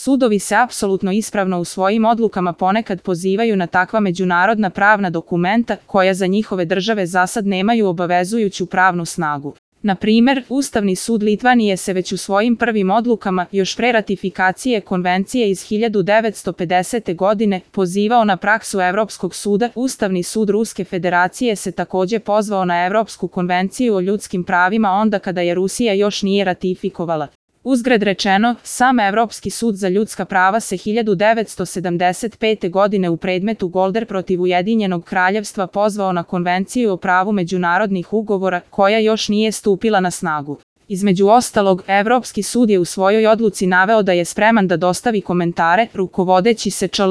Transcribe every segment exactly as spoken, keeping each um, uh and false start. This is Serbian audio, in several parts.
Sudovi se apsolutno ispravno u svojim odlukama ponekad pozivaju na takva međunarodna pravna dokumenta koja za njihove države zasad nemaju obavezujuću pravnu snagu. Na primer, Ustavni sud Litvanije se već u svojim prvim odlukama, još pre ratifikacije konvencije iz hiljadu devetsto pedesete. godine, pozivao na praksu Evropskog suda. Ustavni sud Ruske federacije se takođe pozvao na Evropsku konvenciju o ljudskim pravima onda kada je Rusija još nije ratifikovala. Uzgred rečeno, sam Evropski sud za ljudska prava se hiljadu devetsto sedamdeset pete. godine u predmetu Golder protiv Ujedinjenog kraljevstva pozvao na Konvenciju o pravu međunarodnih ugovora, koja još nije stupila na snagu. Između ostalog, Evropski sud je u svojoj odluci naveo da je spreman da dostavi komentare, rukovodeći se čl.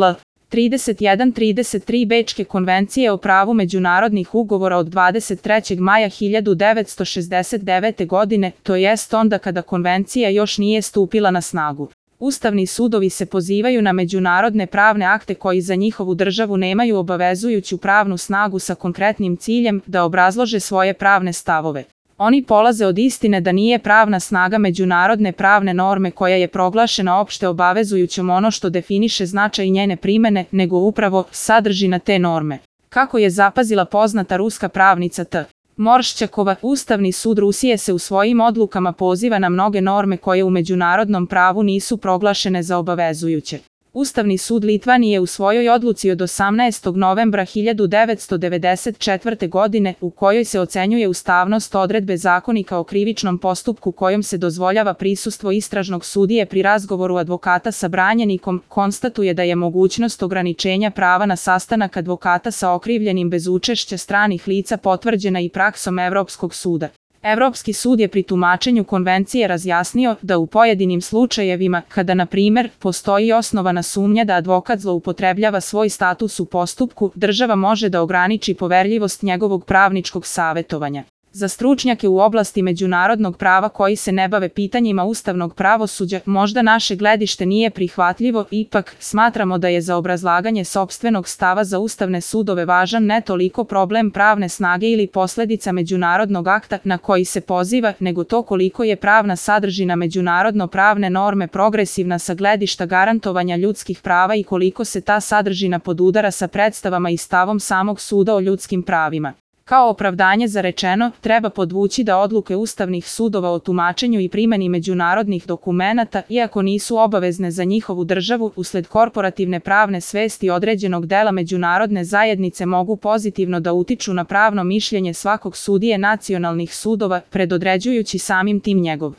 trideset jedan trideset tri Bečke konvencije o pravu međunarodnih ugovora od dvadeset trećeg maja hiljadu devetsto šezdeset devete. godine, to jest onda kada konvencija još nije stupila na snagu. Ustavni sudovi se pozivaju na međunarodne pravne akte koji za njihovu državu nemaju obavezujuću pravnu snagu sa konkretnim ciljem da obrazlože svoje pravne stavove. Oni polaze od istine da nije pravna snaga međunarodne pravne norme koja je proglašena opšte obavezujućom ono što definiše značaj njene primene, nego upravo sadržina te norme. Kako je zapazila poznata ruska pravnica T. Morščakova, Ustavni sud Rusije se u svojim odlukama poziva na mnoge norme koje u međunarodnom pravu nisu proglašene za obavezujuće. Ustavni sud Litvanije u svojoj odluci od osamnaestog novembra hiljadu devetsto devedeset četvrte. godine, u kojoj se ocenjuje ustavnost odredbe Zakonika o krivičnom postupku kojom se dozvoljava prisustvo istražnog sudije pri razgovoru advokata sa branjenikom, konstatuje da je mogućnost ograničenja prava na sastanak advokata sa okrivljenim bez učešća stranih lica potvrđena i praksom Evropskog suda. Evropski sud je pri tumačenju konvencije razjasnio da u pojedinim slučajevima, kada na primer postoji osnovana sumnja da advokat zloupotrebljava svoj status u postupku, država može da ograniči poverljivost njegovog pravničkog savetovanja. Za stručnjake u oblasti međunarodnog prava koji se ne bave pitanjima ustavnog pravosuđa, možda naše gledište nije prihvatljivo, ipak smatramo da je za obrazlaganje sopstvenog stava za ustavne sudove važan ne toliko problem pravne snage ili posledica međunarodnog akta na koji se poziva, nego to koliko je pravna sadržina međunarodno pravne norme progresivna sa gledišta garantovanja ljudskih prava i koliko se ta sadržina podudara sa predstavama i stavom samog suda o ljudskim pravima. Kao opravdanje za rečeno, treba podvući da odluke ustavnih sudova o tumačenju i primeni međunarodnih dokumenata, iako nisu obavezne za njihovu državu, usled korporativne pravne svesti određenog dela međunarodne zajednice mogu pozitivno da utiču na pravno mišljenje svakog sudije nacionalnih sudova, predodređujući samim tim njegov